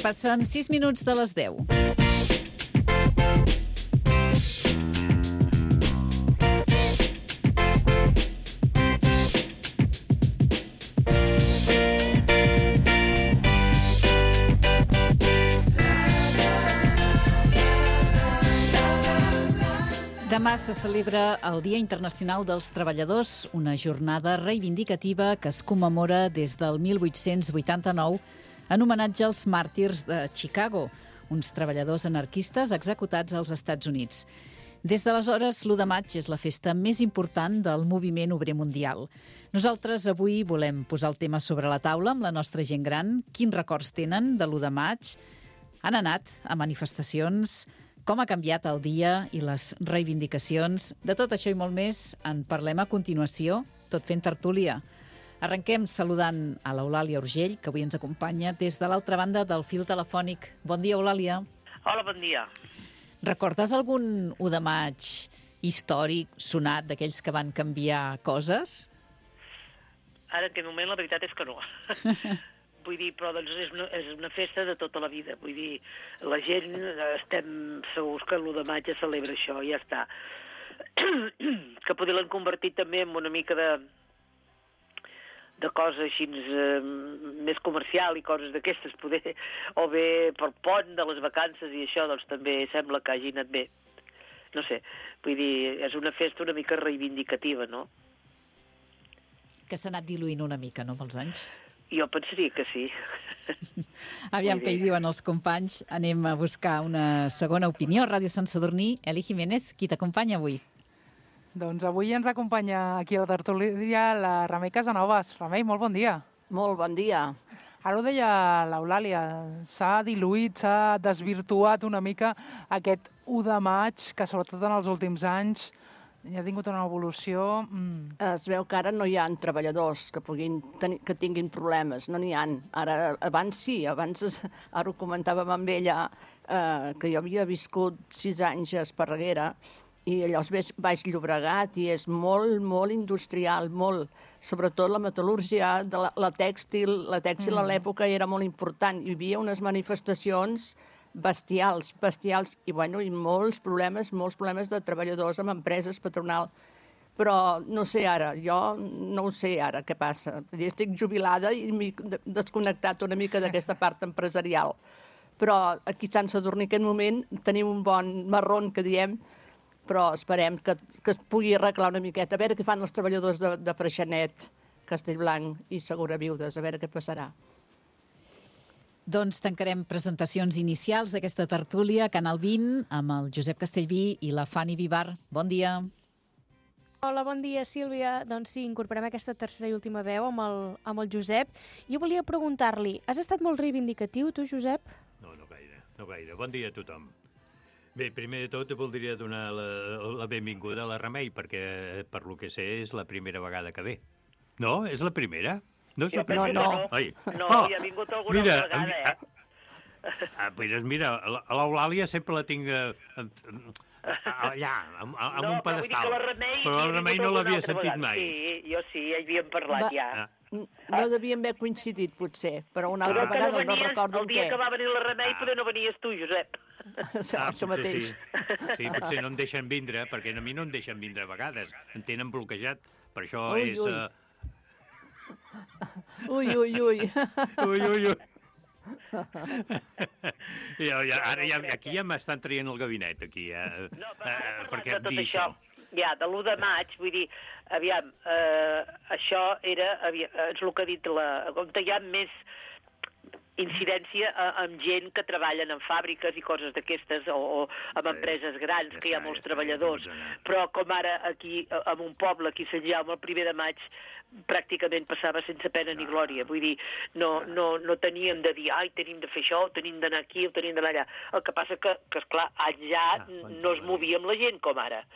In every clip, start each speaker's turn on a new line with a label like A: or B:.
A: Passen 6 minuts de les 10. Demà se celebra el Dia Internacional dels Treballadors, una jornada reivindicativa que es commemora des del 1889 en homenatge als màrtirs de Chicago, uns treballadors anarquistes executats als Estats Units. Des d'aleshores, l'1 de maig és la festa més important del moviment obrer mundial. Nosaltres avui volem posar el tema sobre la taula amb la nostra gent gran. Quins records tenen de l'1 de maig? Han anat a manifestacions? Com ha canviat el dia i les reivindicacions? De tot això i molt més en parlem a continuació, tot fent tertúlia. Arrenquem saludant a l'Eulàlia Urgell, que avui ens acompanya des de l'altra banda del fil telefònic. Bon dia, Eulàlia.
B: Hola, bon dia.
A: Recordes algun 1 de maig històric, sonat, d'aquells que van canviar coses?
B: Ara, en aquest moment, la veritat és que no. Vull dir, però doncs és una festa de tota la vida. Vull dir, la gent estem segurs que l'1 de maig es celebra això, i ja està. Que potser l'han convertit també en una mica de cosa així més comercial i coses d'aquestes, poder, o bé per pont de les vacances i això, doncs també sembla que hagi anat bé. No sé, vull dir, és una festa una mica reivindicativa, no?
A: Que s'ha anat diluint una mica, no, amb els anys?
B: Jo pensaria que sí.
A: Aviam què hi diuen els companys. Anem a buscar una segona opinió. Ràdio Sant Sadurní, Eli Jiménez, qui t'acompanya avui?
C: Doncs avui ens acompanya aquí a la tertúlia la Remei Casanovas. Remei, molt bon dia.
D: Molt bon dia.
C: Ara ho deia l'Eulàlia, s'ha diluït, s'ha desvirtuat una mica aquest 1 de maig, que sobretot en els últims anys ja ha tingut una evolució.
D: Es veu que ara no hi ha treballadors que tinguin problemes, no n'hi ha. Ara, abans sí, ara ho comentàvem amb ella, que jo havia viscut 6 anys a Esparreguera, i allò és Baix Llobregat i és molt, molt industrial, molt. Sobretot la metal·lúrgia, la tèxtil a l'època era molt important. Hi havia unes manifestacions bestials, i molts problemes de treballadors amb empreses, patronal. Però no sé ara, jo no ho sé ara què passa. Estic jubilada i m'he desconnectat una mica d'aquesta part empresarial. Però aquí a Sant Sadurní en aquest moment tenim un bon marrón, que diem, però esperem que es pugui arreglar una miqueta. A veure què fan els treballadors de Freixenet, Castellblanc i Segura Viudes, a veure què passarà.
A: Doncs tancarem presentacions inicials d'aquesta tertúlia Canal 20 amb el Josep Castellví i la Fanny Vivar. Bon dia.
E: Hola, bon dia, Sílvia. Doncs sí, incorporem aquesta tercera i última veu amb el Josep. Jo volia preguntar-li, has estat molt reivindicatiu, tu, Josep?
F: No gaire. Bon dia a tothom. Bé, primer de tot voldria donar la benvinguda a la Remei, perquè per lo que sé és la primera vegada que ve. No? És la primera? No és la primera?
D: No.
B: No, hi ha vingut alguna vegada,
F: Doncs mira, l'Eulàlia sempre la tinc allà, amb un pedestal. Però la Remei no l'havia sentit mai.
B: Sí, jo sí, hi havíem parlat ja.
D: No devíem haver coincidit, potser, però una altra vegada no recordo
B: el dia que va venir la Remei, potser no venies tu, Josep.
D: Això mateix.
F: Sí, potser no em deixen vindre, perquè a mi no em deixen vindre a vegades. Em tenen bloquejat, per això és...
D: Ui.
F: Ara aquí ja m'estan traient el gabinet, aquí, perquè em dir això.
B: Ja, de l'1 de maig, vull dir, aviam, això era, és el que ha dit com hi ha més incidència amb gent que treballen en fàbriques i coses d'aquestes, o amb empreses grans, que hi ha molts treballadors. Però com ara aquí, en un poble, aquí a Sant Jaume, el 1 de maig, pràcticament passava sense pena ni glòria. Vull dir, no teníem de dir, tenim de fer això, tenim d'anar aquí, tenim d'anar allà. El que passa que esclar, allà no es movia amb la gent com ara.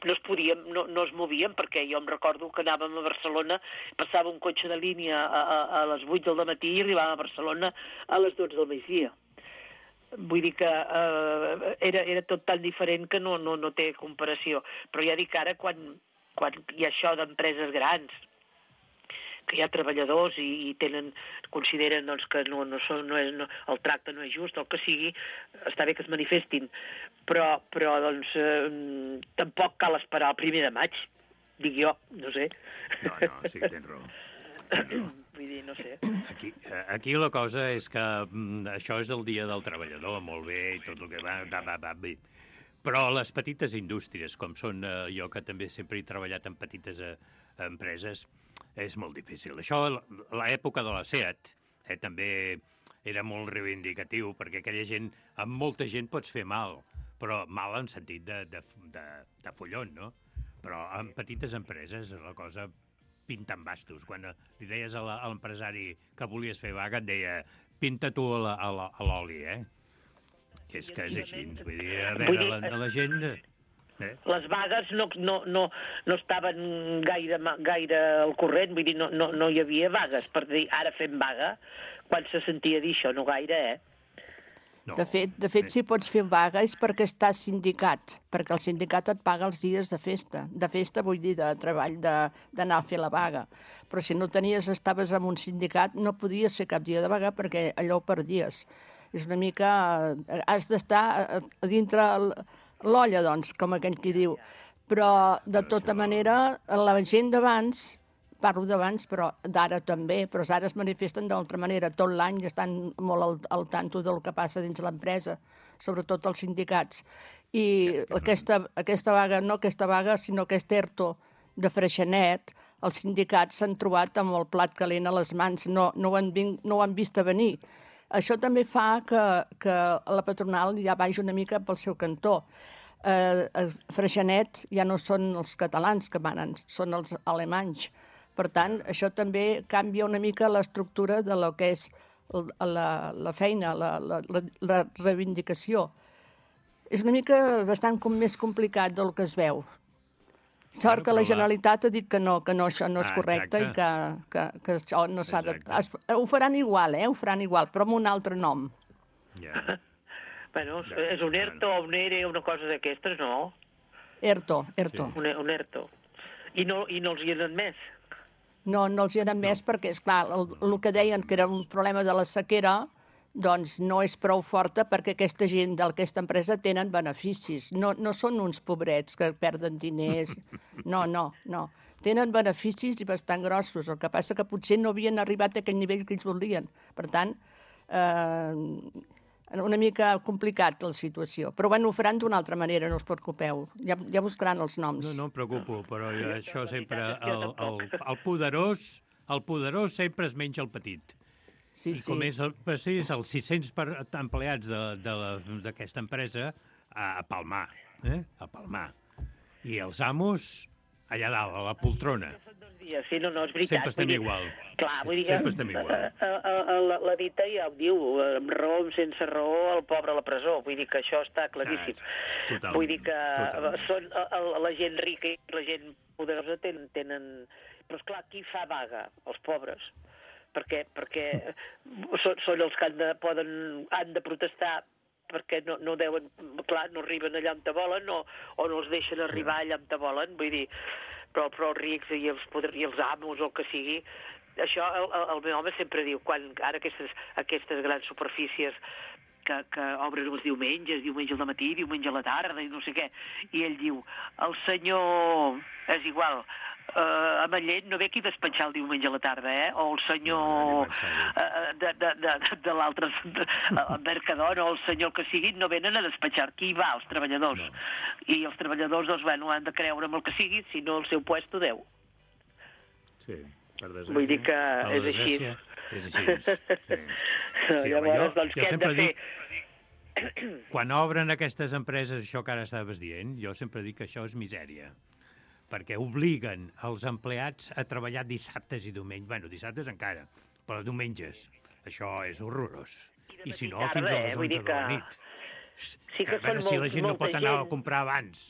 B: no es podien, no es movien, perquè jo em recordo que anàvem a Barcelona, passava un cotxe de línia a les 8 del matí i arribàvem a Barcelona a les 12 del migdia. Vull dir que era tot tan diferent que no té comparació. Però ja dic ara, quan hi ha això d'empreses grans, que hi ha treballadors i consideren doncs, que el tracte no és just, el que sigui, està bé que es manifestin, però doncs, tampoc cal esperar el 1 de maig, dic jo, no sé.
F: No, sí que tens raó.
B: Vull dir, no sé.
F: Aquí la cosa és que això és el dia del treballador, molt bé, i tot el que va bé. Però les petites indústries, com són jo, que també sempre he treballat en petites empreses, és molt difícil. Això, l'època de la SEAT, també era molt reivindicatiu, perquè aquella gent, amb molta gent pots fer mal, però mal en sentit de follon, no? Però en petites empreses la cosa pinta en bastos. Quan li deies a l'empresari que volies fer vaga, et deia, pinta tu a l'oli, És que és així, vull dir, a veure, la gent...
B: Les vagues no estaven gaire al corrent, vull dir, no hi havia vagues, per dir, ara fem vaga, quan se sentia dir això, no gaire,
D: No. De fet, si pots fer vaga és perquè estàs sindicat, perquè el sindicat et paga els dies de festa. De festa vull dir de treball, d'anar a fer la vaga. Però si no estaves en un sindicat, no podies fer cap dia de vaga perquè allò ho perdies. És una mica... Has d'estar a dintre l'olla, doncs, com aquell qui diu. Però, de tota manera, la gent d'abans... Parlo d'abans, però d'ara també, però ara es manifesten d'altra manera. Tot l'any estan molt al tanto del que passa dins l'empresa, sobretot els sindicats. I aquesta vaga, sinó aquest ERTO de Freixenet, els sindicats s'han trobat amb el plat calent a les mans, no ho han vist a venir. Això també fa que la patronal ja vagi una mica pel seu cantó. A Freixenet ja no són els catalans que manen, són els alemanys. Per tant, això també canvia una mica l'estructura de lo que és la feina, la reivindicació. És una mica bastant més complicat del que es veu. Sort que la Generalitat ha dit que no, això no és correcte i que això no s'ha de... Ho faran igual, ho faran igual, però amb un altre nom.
B: Bueno, és un ERTO o un ERE, una cosa d'aquestes, no?
D: ERTO.
B: Un ERTO. I no els hi han admès?
D: No els hi han admès perquè, esclar, el que deien que era un problema de la sequera, doncs no és prou forta perquè aquesta gent d'aquesta empresa tenen beneficis. No són uns pobrets que perden diners. No. Tenen beneficis i bastant grossos. El que passa que potser no havien arribat a aquell nivell que ells volien. Per tant, una mica complicat la situació. Però ho faran d'una altra manera, no us preocupeu. Ja buscaran els noms.
F: No em preocupo, però això sempre... El poderós sempre es menja el petit.
D: Sí.
F: I com és els 600 empleats d'aquesta empresa, a palmar. A palmar. I els amos, allà dalt, a la poltrona.
B: Sí, no, és veritat.
F: Sempre estem igual.
B: Clar, vull dir
F: sempre estem igual.
B: La dita ja ho diu, amb raó, sense raó, el pobre a la presó. Vull dir que això està claríssim.
F: Totalment.
B: Vull dir que són la gent rica i la gent poderosa tenen... Però, esclar, qui fa vaga? Els pobres. Perquè són els que han de protestar perquè no deuen... Clar, no arriben allà on te volen o no els deixen arribar allà on te volen. Vull dir... Però els rics i els amos o el que sigui, això el meu home sempre diu, quan ara aquestes grans superfícies que obren els diumenge al matí, diumenge a la tarda i no sé què, i ell diu, el senyor, és igual, a Manllent no ve aquí a despatxar el diumenge a la tarda, o el senyor de l'altre Mercadona o el senyor que sigui no venen a despatxar. Qui va? Els treballadors. I els treballadors, doncs, han de creure amb el que sigui, si no el seu puesto deu.
F: Sí, per desgràcia.
B: Vull dir que és així.
F: És així.
B: Llavors, doncs, què hem de fer?
F: Quan obren aquestes empreses, això que ara estaves dient, jo sempre dic que això és misèria. Perquè obliguen els empleats a treballar dissabtes i diumenges. Bueno, dissabtes encara, però diumenges. Això és horrorós. I si no, fins a les 11 de la nit.
B: Sí que
F: a veure si la gent no pot anar a comprar abans.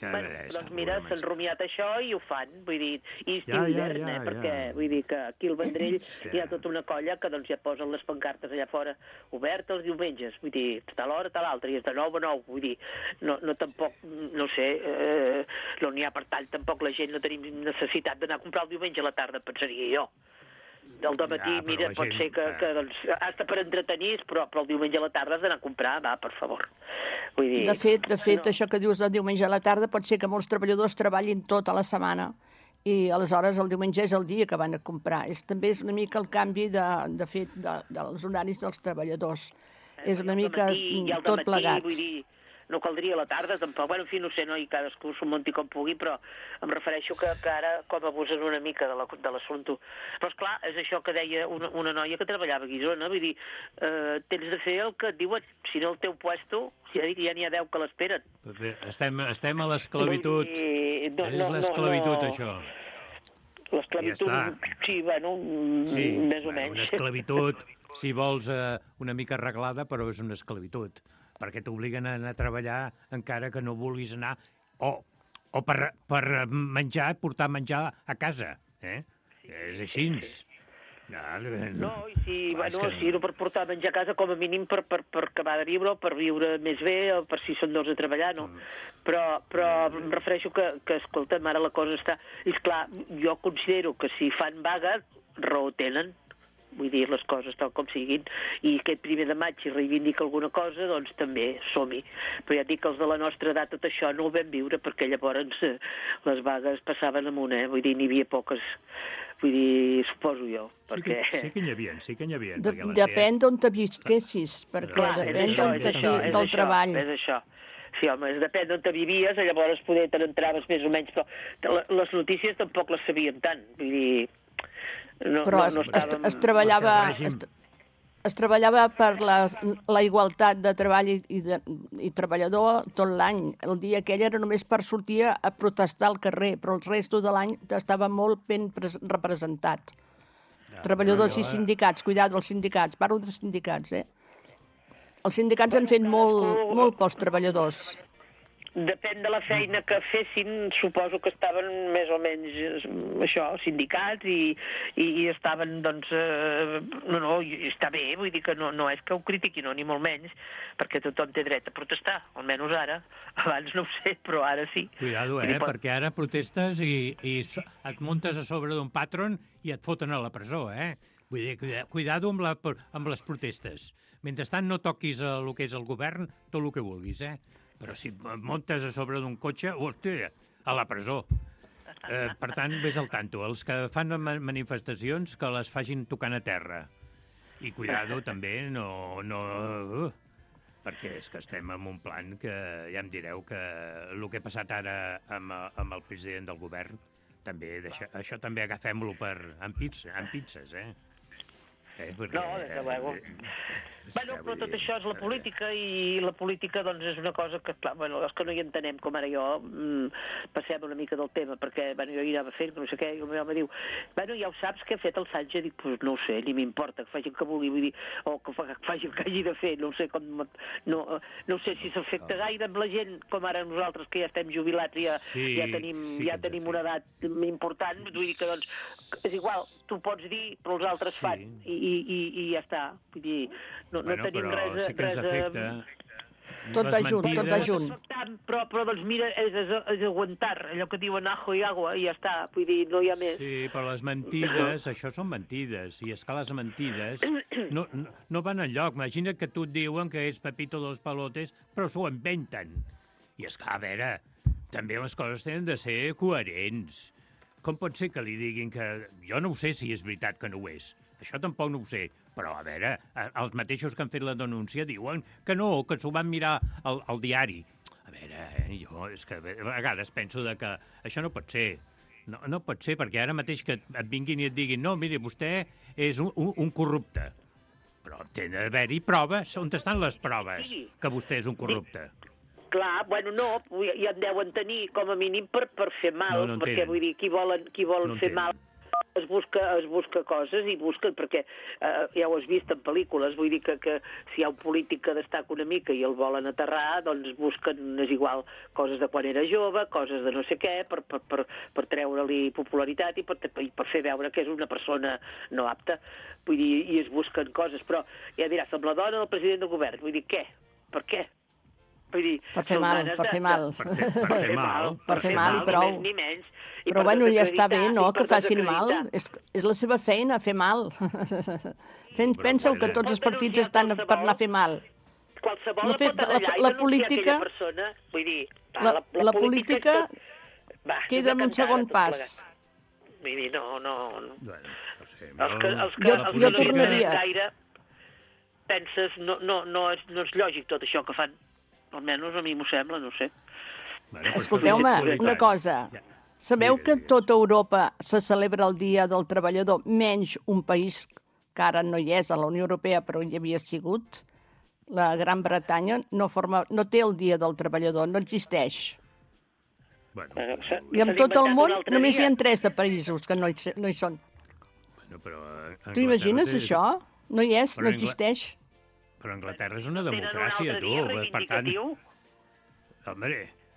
B: Doncs mira, s'han rumiat això i ho fan, vull dir, i estiu hivern, perquè vull dir que aquí al Vendrell hi ha tota una colla que doncs ja posen les pancartes allà fora obertes els diumenges, vull dir, tal hora, tal altra, i és de 9 a 9, vull dir, no tampoc, no sé, no n'hi ha per tant, tampoc la gent no tenim necessitat d'anar a comprar el diumenge a la tarda, pensaria jo. Del dematí, mira, pot ser que doncs, hasta per entretenir, però el diumenge a la tarda has d'anar a comprar, va, per favor. Vull dir,
D: de fet, això que dius del diumenge a la tarda pot ser que molts treballadors treballin tota la setmana i aleshores el diumenge és el dia que van a comprar. També és una mica el canvi dels horaris dels treballadors. És una mica tot plegat.
B: Vull dir, no caldria a la tarda, tampoc. Bueno, en fi, no sé, no? I cadascú s'ho munti com pugui, però em refereixo que ara com abusen una mica de l'assumpte. Però, esclar, és això que deia una noia que treballava a Guissona, vull dir, tens de fer el que et diuen, si no el teu puesto, ja n'hi ha 10 que l'esperen.
F: Estem a l'esclavitud. És l'esclavitud, això.
B: L'esclavitud, sí, bueno, més o menys.
F: Una esclavitud, si vols, una mica arreglada, però és una esclavitud, perquè t'obliguen a anar a treballar encara que no vulguis anar, o per menjar, portar menjar a casa, És així.
B: No, i si no per portar menjar a casa, com a mínim per acabar de viure, o per viure més bé, o per si són dos a treballar, no? Però em refereixo que escolta'm, ara la cosa està... I esclar, jo considero que si fan vaga, raó tenen, vull dir les coses tal com siguin, i aquest 1 de maig si reivindica alguna cosa, doncs també som-hi. Però ja et dic que els de la nostra edat tot això no ho vam viure, perquè llavors les vagues passaven amunt, vull dir, n'hi havia poques, vull dir, suposo jo, perquè...
F: Sí que n'hi havia.
D: Depèn d'on te visquessis, perquè depèn del treball.
B: És això. Sí, home, depèn d'on te vivies, llavors poder te n'entraves més o menys, però les notícies tampoc les sabíem tant, vull dir...
D: Però es treballava per la igualtat de treball i treballador tot l'any. El dia aquell era només per sortir a protestar al carrer, però el resto de l'any estava molt ben representat. Treballadors i sindicats, cuidado, els sindicats, parlo de sindicats, Els sindicats han fet molt pels treballadors.
B: Depèn de la feina que fessin, suposo que estaven més o menys, això, sindicats i estaven, doncs, està bé, vull dir que no és que ho critiquin, ni molt menys, perquè tothom té dret a protestar, almenys ara. Abans no ho sé, però ara sí.
F: Cuidado, perquè ara protestes i et muntes a sobre d'un patron i et foten a la presó, Vull dir, cuidado amb les protestes. Mentrestant no toquis el que és el govern, tot el que vulguis, Però si montes a sobre d'un cotxe, hòstia, a la presó. Per tant, vés al tanto. Els que fan manifestacions, que les facin tocant a terra. I cuidado també, perquè és que estem en un plan que ja em direu que el que ha passat ara amb el president del govern, també això també agafem-lo amb pinces, Perquè,
B: no, des de luego. Bueno, però tot això és la política, i la política doncs és una cosa que, clar, els que no hi entenem, com ara jo, passem una mica del tema, perquè jo hi anava fent, no sé què, i el meu home diu, ja ho saps què ha fet el Sánchez? Dic, pues no ho sé, ni m'importa, que faci el que vulgui, vull dir, o que faci el que hagi de fer, no ho sé com... No sé si s'afecta gaire amb la gent, com ara nosaltres, que ja estem jubilats i ja tenim una edat important, vull dir que, doncs, és igual, tu pots dir, però els altres fan, i ja està, vull dir... No tenim res...
F: Sí que ens afecta.
D: Tot va junt.
B: Però doncs mira, és aguantar, allò que diuen ajo i agua, i ja està, vull dir, no hi ha més.
F: Sí, però les mentides, això són mentides, i és que les mentides no van enlloc. Imagina't que tu et diuen que és Pepito de los Palotes, però s'ho inventen. I és que, a veure, també les coses tenen de ser coherents. Com pot ser que li diguin que... Jo no ho sé si és veritat que no ho és. Això tampoc no ho sé, però a veure, els mateixos que han fet la denúncia diuen que no, que s'ho van mirar al diari. A veure, jo és que a vegades penso que això no pot ser. No pot ser, perquè ara mateix que et vinguin i et diguin no, miri, vostè és un corrupte. Però té d'haver-hi proves. On estan les proves que vostè és un corrupte?
B: Clar, bueno, no, ja en deuen tenir com a mínim per fer mal, perquè vull dir, qui vol fer mal es busca coses i busquen, perquè ja ho has vist en pel·lícules, vull dir que si hi ha un polític que destaca una mica i el volen aterrar, doncs busquen, és igual, coses de quan era jove, coses de no sé què, per treure-li popularitat i per fer veure que és una persona no apta. Vull dir, i es busquen coses, però ja diràs, amb la dona del president del govern, vull dir, què? Per què? Vull dir,
D: per fer mal.
F: Per fer mal
D: i prou.
B: Ni més ni menys.
D: Però bueno, ja està bé, no?, que facin mal. És la seva feina, fer mal. Penseu que tots els partits estan per anar a fer mal.
B: Qualsevol pot anar allà i denunciar aquella persona. Vull dir,
D: la política queda en un segon pas.
B: Vull dir, no...
F: Bueno, no sé.
D: Jo tornaria.
B: Penses, no és lògic tot això que fan. Almenys a mi m'ho sembla, no sé.
D: Escolteu-me, una cosa. Sabeu que tota Europa se celebra el Dia del Treballador, menys un país que ara no hi és a la Unió Europea, però hi havia sigut? La Gran Bretanya no té el Dia del Treballador, no existeix. I en tot el món només hi ha 3 de països que no hi són. Tu imagines això? No hi és, no existeix.
F: Però Anglaterra és una democràcia, tu. Per tant... Home,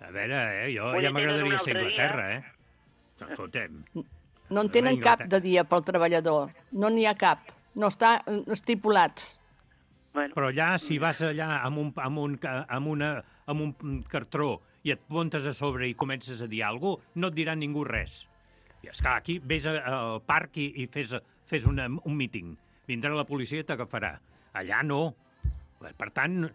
F: a veure, jo ja m'agradaria ser Anglaterra, Fotem.
D: No en tenen cap de dia pel treballador. No n'hi ha cap. No està estipulat.
F: Però allà, si vas allà amb un cartró i et muntes a sobre i comences a dir alguna cosa, no et dirà ningú res. I esclar, aquí vés al parc i fes un míting. Vindrà la policia i t'agafarà. Allà no. Per tant,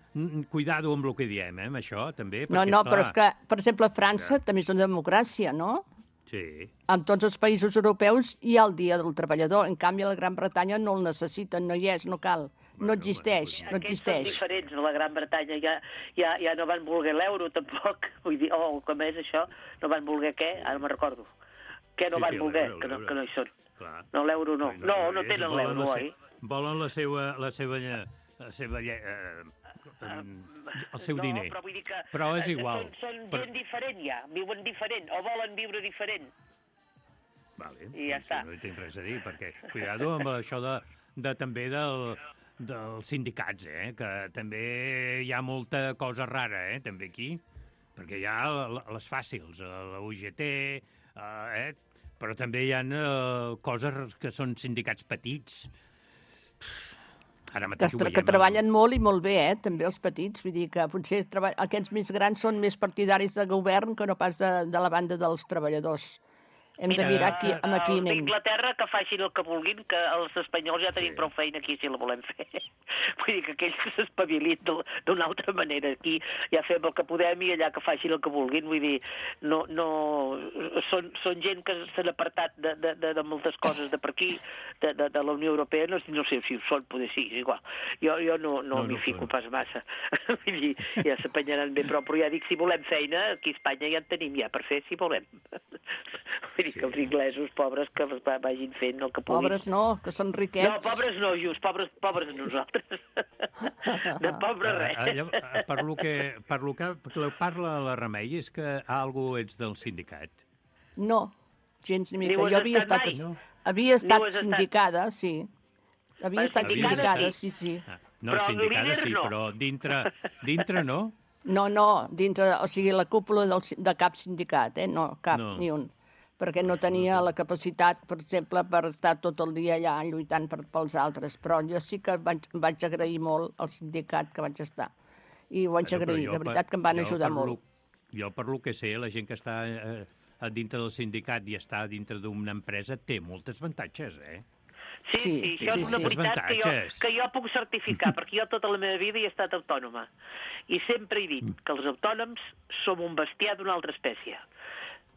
F: cuidado amb el que diem, amb això, també.
D: No, però és que, per exemple, França també és una democràcia, no?
F: Sí.
D: En tots els països europeus hi ha el Dia del Treballador. En canvi, a la Gran Bretanya no el necessiten, no hi és, no cal. No existeix, no existeix.
B: Aquests són diferents. A la Gran Bretanya ja no van voler l'euro, tampoc. Vull dir, com és això? No van voler què? Ara me'n recordo. Què no van voler? Que no hi són. No, l'euro no. No tenen l'euro, oi?
F: Volen el seu diner.
B: No, però vull dir que
F: però és igual.
B: Són gent diferent ja, viuen diferent, o volen viure diferent.
F: Vale,
B: i ja està.
F: No hi tinc res a dir, perquè cuidado amb això també dels sindicats, que també hi ha molta cosa rara, també aquí, perquè hi ha les fàcils, la UGT, però també hi ha coses que són sindicats petits.
D: Que treballen molt i molt bé, també els petits. Vull dir que potser aquests més grans són més partidaris de govern que no pas de la banda dels treballadors. Hem de mirar aquí anem.
B: D'Inglaterra que facin el que vulguin, que els espanyols ja tenim prou feina aquí si la volem fer. Vull dir que aquells que s'espavilin d'una altra manera. Aquí ja fem el que podem i allà que facin el que vulguin. Vull dir, no són gent que s'han apartat de moltes coses de per aquí, de la Unió Europea. No sé si ho són, poder sí, és igual. Jo no m'hi fico pas massa. Vull dir, ja s'apanyaran bé, però ja dic, si volem feina, aquí a Espanya ja en tenim ja per fer, si volem. Vull dir que els inglesos, pobres, que vagin fent el que puguin.
D: Pobres no, que són riquets.
B: No, pobres no, just, pobres nosaltres. De pobre res.
F: Per lo que parla la Remei, és que algú ets del sindicat.
D: No, gens ni mica. Jo havia estat sindicada, sí. Havia estat sindicada, sí.
F: No, sindicada sí, però dintre no?
D: No, dintre, o sigui, la cúpula de cap sindicat, no, cap, ni un. Perquè no tenia la capacitat, per exemple, per estar tot el dia allà lluitant pels altres. Però jo sí que vaig agrair molt al sindicat que vaig estar. I ho vaig agrair, de veritat que em van ajudar molt.
F: Jo, per lo que sé, la gent que està dintre del sindicat i està dintre d'una empresa té molts avantatges,
B: Sí, això és una veritat que jo puc certificar, perquè jo tota la meva vida he estat autònoma. I sempre he dit que els autònoms som un bestiar d'una altra espècie.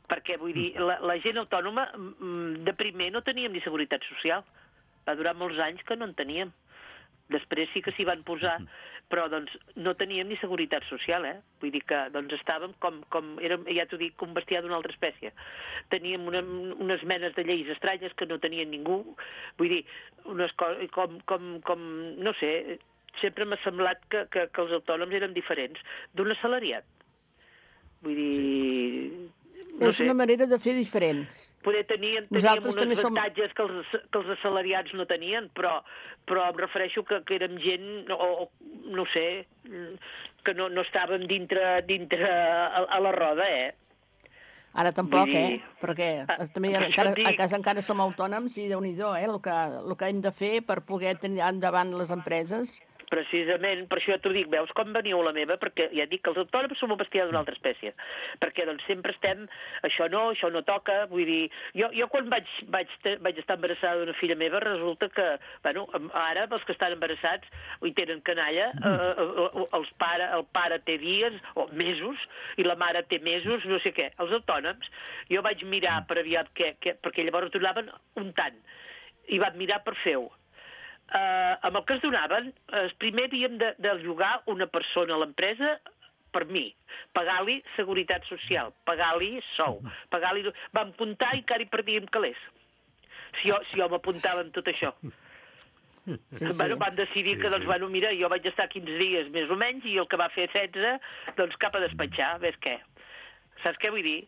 B: Perquè, vull dir, la gent autònoma, de primer no teníem ni seguretat social. Va durar molts anys que no en teníem. Després sí que s'hi van posar, però doncs no teníem ni seguretat social, Vull dir que doncs estàvem érem, ja t'ho dic, un bestiar d'una altra espècie. Teníem unes menes de lleis estranyes que no tenien ningú. Vull dir, unes coses com no sé, sempre m'ha semblat que els autònoms eren diferents d'un assalariat. Vull dir...
D: És una manera de fer diferent.
B: Poder teníem
D: Nosaltres
B: uns
D: també som-
B: avantatges que els assalariats no tenien, però em refereixo que érem gent, o no sé, que no estàvem dintre a la roda,
D: Ara tampoc,
B: Vull dir-
D: Perquè també
B: per això
D: encara,
B: et dic-
D: a casa encara som autònoms i Déu-n'hi-do, el que hem de fer per poder tenir endavant les empreses.
B: Precisament, per això t'ho dic, veus com veniu a la meva, perquè ja et dic que els autònoms som un bestiar d'una altra espècie, perquè doncs sempre estem, això no toca, vull dir, jo quan vaig estar embarassada d'una filla meva, resulta que, bueno, ara els que estan embarassats hi tenen canalla, el pare té dies o mesos, i la mare té mesos, no sé què. Els autònoms, jo vaig mirar per aviat perquè llavors donaven un tant, i vam mirar per fer-ho. Amb el que es donaven, primer havíem de llogar una persona a l'empresa per mi, pagar-li seguretat social, pagar-li sou, pagar-li... Vam comptar i encara hi perdíem calés. Si jo m'apuntava amb tot això.
D: Sí.
B: Bueno, van decidir que, doncs, bueno, mira, jo vaig estar 15 dies més o menys i el que va fer 16, doncs cap a despatxar, ves què. Saps què vull dir?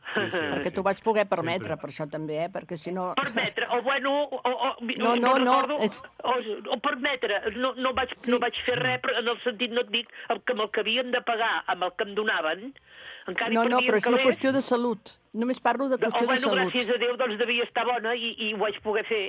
D: Perquè t'ho vaig poder permetre, per això també, perquè si no...
B: Permetre, o bueno... O permetre, no vaig fer res, però en el sentit no et dic que amb el que havien de pagar, amb el que em donaven, encara hi perdien
D: però és una
B: calés.
D: qüestió de salut. Només parlo de qüestió de salut.
B: Gràcies a Déu, doncs devia estar bona i ho vaig poder fer.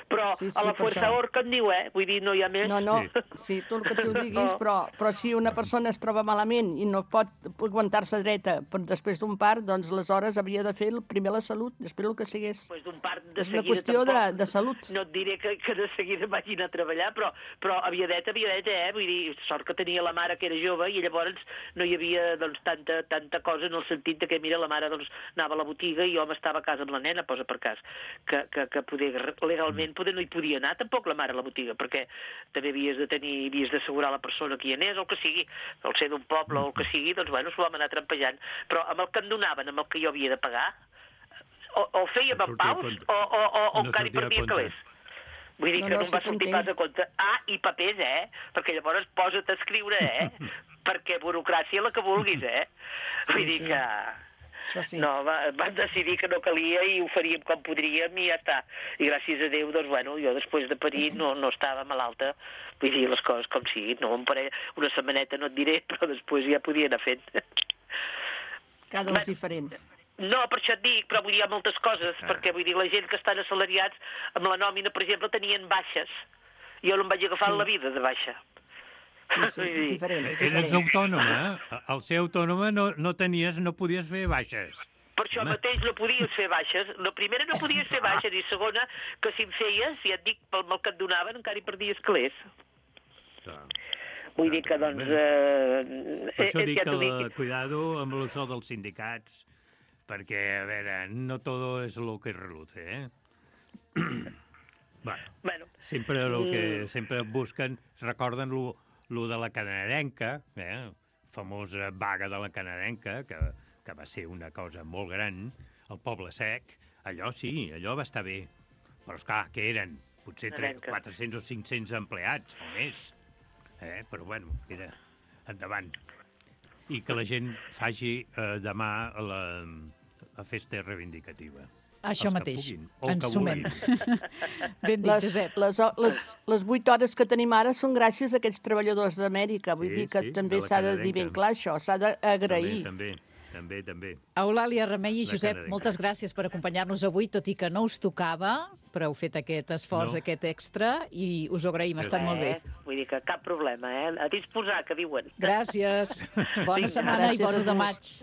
B: Però
D: Sí,
B: a la
D: per
B: força
D: això.
B: orca en diu, Vull dir, no hi ha més.
D: No, sí, tu el que tu diguis, però si una persona es troba malament i no pot aguantar-se dreta després d'un part, doncs aleshores havia de fer primer la salut, després el que sigués.
B: Pues d'un part de
D: És una
B: seguida
D: qüestió
B: tampoc.
D: de salut.
B: No et diré que de seguida vaig anar a treballar, però aviadet, vull dir, sort que tenia la mare que era jove i llavors no hi havia doncs, tanta cosa en el sentit de que, mira, la mare doncs, anava a la botiga i jo m'estava a casa amb la nena, posa per cas, que poder, legalment poder no hi podia anar tampoc la mare a la botiga, perquè també havies d'assegurar la persona que hi anés, o el que sigui, el ser d'un poble o el que sigui, doncs bueno, s'ho vam anar trampejant. Però amb el que em donaven, amb el que jo havia de pagar, o fèiem en paus, o encara hi perdia calés. Vull dir que no em va sortir pas a compte. I papers, perquè llavors posa't a escriure, perquè burocràcia la que vulguis, Vull dir que...
D: Sí.
B: No, van decidir que no calia i ho faríem com podríem i ja està. I gràcies a Déu, doncs, bueno, jo després de parir no estava malalta. Vull dir, les coses com siguin. No, una setmaneta no et diré, però després ja podia anar fent.
D: Cada un és diferent.
B: No, per això et dic, però vull dir, hi ha moltes coses, perquè vull dir, la gent que estan assalariats amb la nòmina, per exemple, tenien baixes. Jo no em vaig agafar en la vida de baixa.
D: Sí, és diferent.
F: Eres autònoma, Al ser autònoma no podies fer baixes.
B: Per això mateix no podies fer baixes. La primera no podies fer baixes i segona, que si en feies, ja et dic, pel mal que et donaven, encara hi perdies calés. Vull dir que, doncs...
F: Per això dic que cuidado amb això dels sindicats, perquè, a veure, no todo es lo que reluce, Bueno, sempre busquen, recorden lo de la canadenca, famosa vaga de la canadenca, que va ser una cosa molt gran, el Poble Sec, allò sí, allò va estar bé. Però, esclar, què eren? Potser 400 o 500 empleats, o més. Però, bueno, era endavant. I que la gent faci demà la festa reivindicativa.
A: Això mateix, ens sumem. Ben dit, Josep.
D: Les 8 hores que tenim ara són gràcies a aquests treballadors d'Amèrica. Vull dir que també s'ha de dir ben clar això, s'ha d'agrair.
F: També.
A: Eulàlia, Remei i Josep, moltes gràcies per acompanyar-nos avui, tot i que no us tocava, però heu fet aquest esforç, aquest extra, i us ho agraïm, ha estat molt bé.
B: Vull dir que cap problema, A disposar, que diuen.
A: Gràcies. Bona setmana i bon 1 de maig.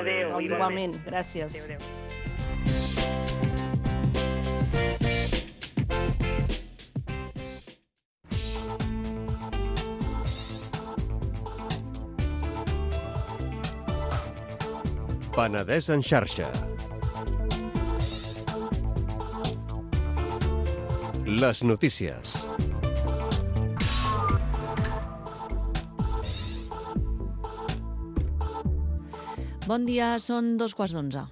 B: Adéu.
D: Igualment, gràcies.
B: Adéu.
G: Penedès en xarxa. Les notícies.
H: Bon dia, són 11:15.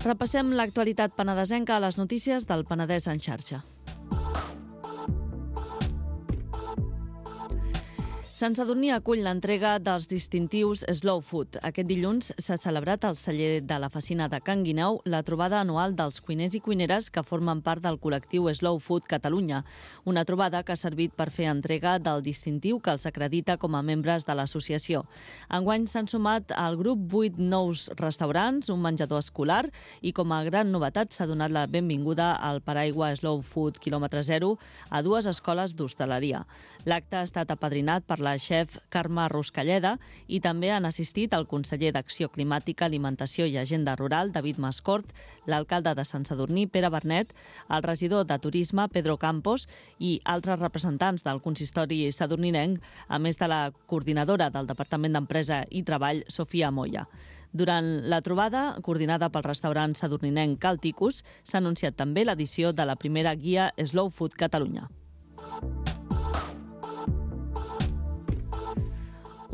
H: Repassem l'actualitat penedesenca a les notícies del Penedès en xarxa. Sant Sadurní acull l'entrega dels distintius Slow Food. Aquest dilluns s'ha celebrat al celler de la Facina de Can Guineu la trobada anual dels cuiners i cuineres que formen part del col·lectiu Slow Food Catalunya. Una trobada que ha servit per fer entrega del distintiu que els acredita com a membres de l'associació. Enguany s'han sumat al grup 8 nous restaurants, un menjador escolar i com a gran novetat s'ha donat la benvinguda al paraigua Slow Food quilòmetre zero a 2 escoles d'hostaleria. L'acte ha estat apadrinat per la xef Carme Ruscalleda i també han assistit el conseller d'Acció Climàtica, Alimentació i Agenda Rural, David Mascort, l'alcalde de Sant Sadurní, Pere Bernet, el regidor de Turisme, Pedro Campos, i altres representants del consistori sadurninenc, a més de la coordinadora del Departament d'Empresa i Treball, Sofia Moya. Durant la trobada, coordinada pel restaurant sadurninenc Cal Ticus, s'ha anunciat també l'edició de la primera guia Slow Food Catalunya.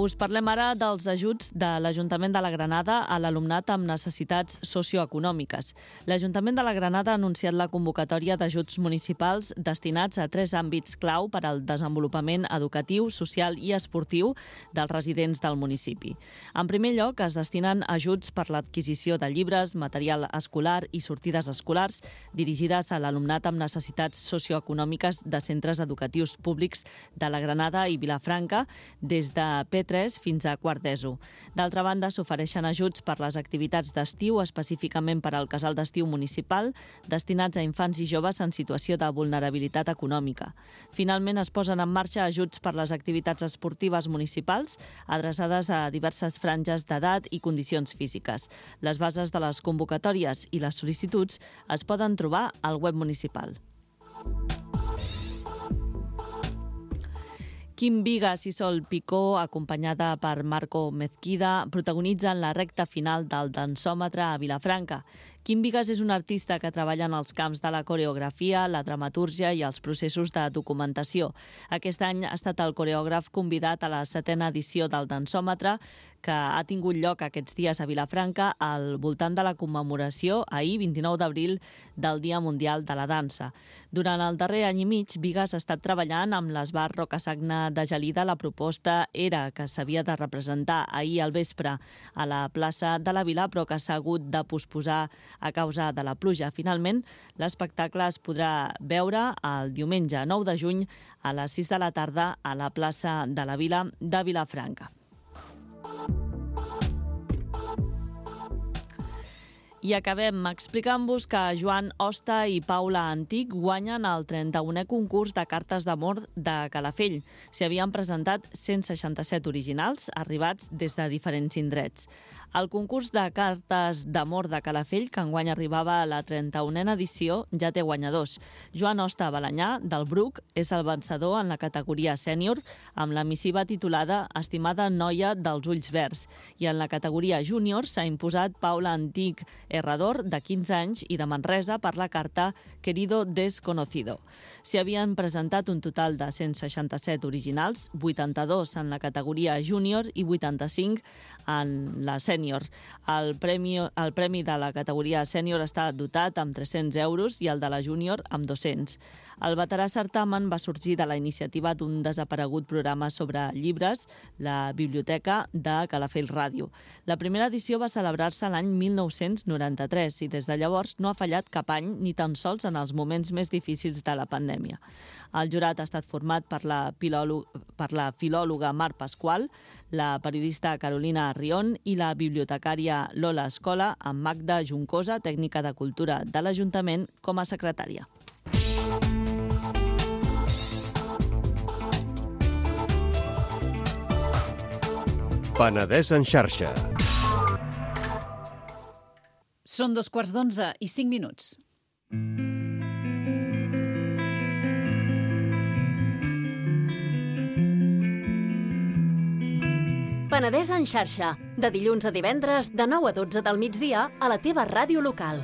H: Us parlem ara dels ajuts de l'Ajuntament de la Granada a l'alumnat amb necessitats socioeconòmiques. L'Ajuntament de la Granada ha anunciat la convocatòria d'ajuts municipals destinats a 3 àmbits clau per al desenvolupament educatiu, social i esportiu dels residents del municipi. En primer lloc, es destinen ajuts per l'adquisició de llibres, material escolar i sortides escolars dirigides a l'alumnat amb necessitats socioeconòmiques de centres educatius públics de la Granada i Vilafranca des de P3 fins a quart d'ESO. D'altra banda, s'ofereixen ajuts per les activitats d'estiu, específicament per al casal d'estiu municipal, destinats a infants i joves en situació de vulnerabilitat econòmica. Finalment, es posen en marxa ajuts per les activitats esportives municipals, adreçades a diverses franges d'edat i condicions físiques. Les bases de les convocatòries i les sol·licituds es poden trobar al web municipal. Quim Vigas i Sol Picó, acompanyada per Marco Mezquida, protagonitzen la recta final del dansòmetre a Vilafranca. Quim Vigas és un artista que treballa en els camps de la coreografia, la dramatúrgia i els processos de documentació. Aquest any ha estat el coreògraf convidat a la 7ª edició del dansòmetre, que ha tingut lloc aquests dies a Vilafranca al voltant de la commemoració, ahir, 29 d'abril, del Dia Mundial de la Dansa. Durant el darrer any i mig, Vigas ha estat treballant amb l'Esbar Rocasagna de Gelida la proposta Era, que s'havia de representar ahir al vespre a la plaça de la Vila, però que s'ha hagut de posposar a causa de la pluja. Finalment, l'espectacle es podrà veure el diumenge 9 de juny a les 6 de la tarda a la plaça de la Vila de Vilafranca. I acabem explicant-vos que Joan Hosta i Paula Antic guanyen el 31è concurs de cartes d'amor de Calafell. S'hi havien presentat 167 originals, arribats des de diferents indrets. El concurs de cartes d'amor de Calafell, que enguany arribava a la 31a edició, ja té guanyadors. Joan Hosta Balanyà, del Bruc, és el vencedor en la categoria sènior, amb la missiva titulada Estimada noia dels ulls verds. I en la categoria júnior s'ha imposat Paula Antic Herrador, de 15 anys, i de Manresa, per la carta Querido Desconocido. S'hi havien presentat un total de 167 originals, 82 en la categoria júnior i 85 en la sènior. El premi de la categoria sènior està dotat amb 300 euros i el de la júnior amb 200. El veterà certamen va sorgir de la iniciativa d'un desaparegut programa sobre llibres, la Biblioteca de Calafell Ràdio. La primera edició va celebrar-se l'any 1993 i des de llavors no ha fallat cap any, ni tan sols en els moments més difícils de la pandèmia. El jurat ha estat format per la filòloga Mar Pasqual, la periodista Carolina Arrión i la bibliotecària Lola Escola, amb Magda Juncosa, tècnica de cultura de l'Ajuntament, com a secretària.
G: Penedès en xarxa.
A: Són 11:45.
I: Penedès en xarxa, de dilluns a divendres, de 9 a 12 del migdia, a la teva ràdio local.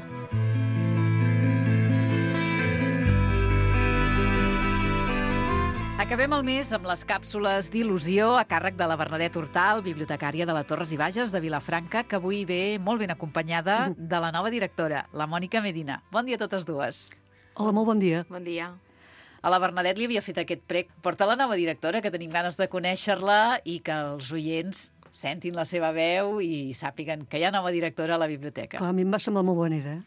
A: Acabem el mes amb les càpsules d'il·lusió a càrrec de la Bernadette Hortal, bibliotecària de la Torres i Bages de Vilafranca, que avui ve molt ben acompanyada de la nova directora, la Mònica Medina. Bon dia a totes dues.
J: Hola, molt bon dia.
K: Bon dia.
A: A la Bernadette li havia fet aquest prec. Porta la nova directora, que tenim ganes de conèixer-la i que els oients sentin la seva veu i sàpiguen que hi ha nova directora a la biblioteca.
J: Clar, a mi em va semblar molt bona idea.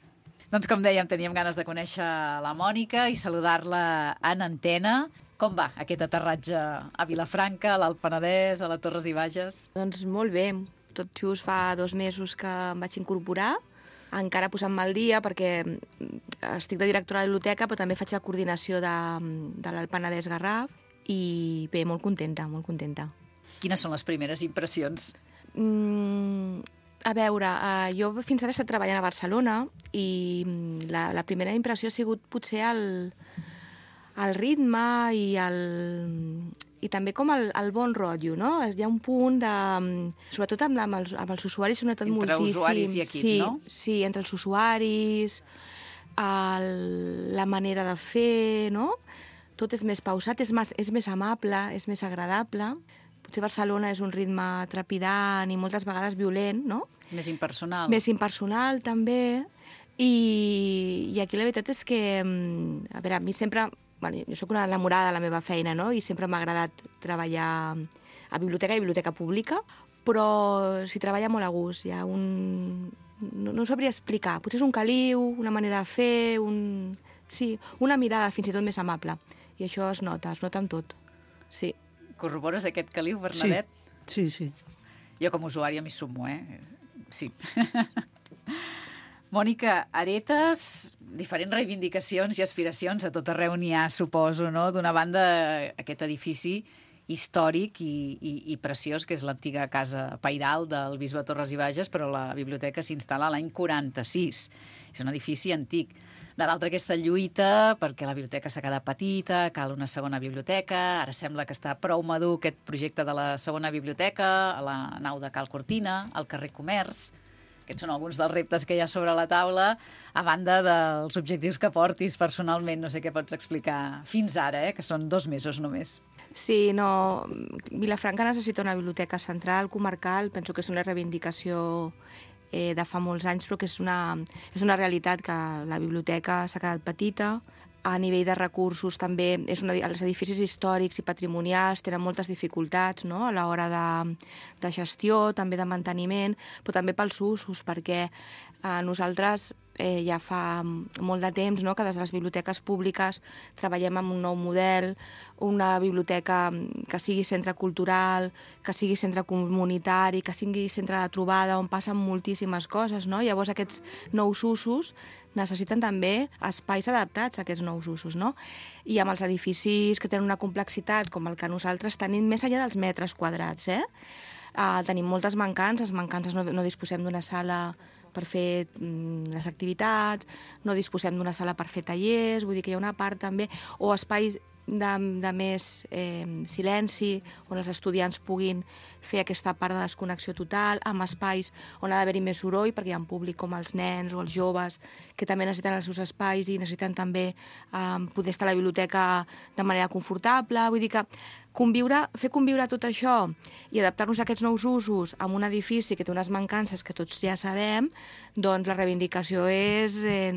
A: Doncs com dèiem, teníem ganes de conèixer la Mònica i saludar-la en antena. Com va aquest aterratge a Vilafranca, a l'Alt Penedès, a la Torres i Bages?
K: Doncs molt bé. Tot just fa 2 mesos que em vaig incorporar, encara posant-me al dia perquè estic de directora de la biblioteca, però també faig la coordinació de l'Alt Penedès Garraf i bé, molt contenta, molt contenta.
A: Quines són les primeres impressions?
K: A veure, jo fins ara he estat treballant a Barcelona i la primera impressió ha sigut potser el ritme i també com el bon rotllo, no? Hi ha un punt de... Sobretot amb els usuaris s'ha notat moltíssim.
A: Entre usuaris i equip, no?
K: Sí, entre els usuaris, la manera de fer, no? Tot és més pausat, és més amable, és més agradable. Potser Barcelona és un ritme trepidant i moltes vegades violent, no?
A: Més impersonal.
K: Més impersonal, també. I aquí la veritat és que, a veure, a mi sempre... Bueno, jo soc una enamorada de la meva feina, no? I sempre m'ha agradat treballar a biblioteca i biblioteca pública, però s'hi treballa molt a gust. Hi ha un... No sabria explicar. Potser és un caliu, una manera de fer, sí, una mirada fins i tot més amable. I això es nota en tot. Sí.
A: Corrobores aquest caliu, Bernadette?
J: Sí.
A: Jo com a usuària m'hi sumo, Sí. Mònica, heretes diferents reivindicacions i aspiracions, a tot arreu n'hi ha, suposo, no? D'una banda, aquest edifici històric i preciós, que és l'antiga casa pairal del bisbe Torres i Bages, però la biblioteca s'instal·la l'any 46. És un edifici antic. De l'altra, aquesta lluita perquè la biblioteca s'ha quedat petita, cal una segona biblioteca, ara sembla que està prou madur aquest projecte de la segona biblioteca, a la nau de Cal Cortina, al carrer Comerç. Aquests són alguns dels reptes que hi ha sobre la taula, a banda dels objectius que portis personalment. No sé què pots explicar fins ara, que són 2 mesos només.
K: Sí, no... Vilafranca necessita una biblioteca central, comarcal. Penso que és una reivindicació de fa molts anys, però que és una realitat que la biblioteca s'ha quedat petita. A nivell de recursos també, els edificis històrics i patrimonials tenen moltes dificultats, no? A l'hora de gestió, també de manteniment, però també pels usos, perquè nosaltres ja fa molt de temps, no?, que des de les biblioteques públiques treballem amb un nou model, una biblioteca que sigui centre cultural, que sigui centre comunitari, que sigui centre de trobada, on passen moltíssimes coses, no? Llavors aquests nous usos necessiten també espais adaptats a aquests nous usos, no? I amb els edificis que tenen una complexitat com el que nosaltres tenim, més enllà dels metres quadrats, tenim moltes mancances. No disposem d'una sala per fer les activitats, no disposem d'una sala per fer tallers, vull dir que hi ha una part també, o espais de més silenci, on els estudiants puguin fer aquesta part de desconnexió total, amb espais on ha d'haver-hi més soroll, perquè hi ha un públic com els nens o els joves que també necessiten els seus espais i necessiten també poder estar a la biblioteca de manera confortable. Vull dir que fer conviure tot això i adaptar-nos a aquests nous usos amb un edifici que té unes mancances que tots ja sabem, doncs la reivindicació és que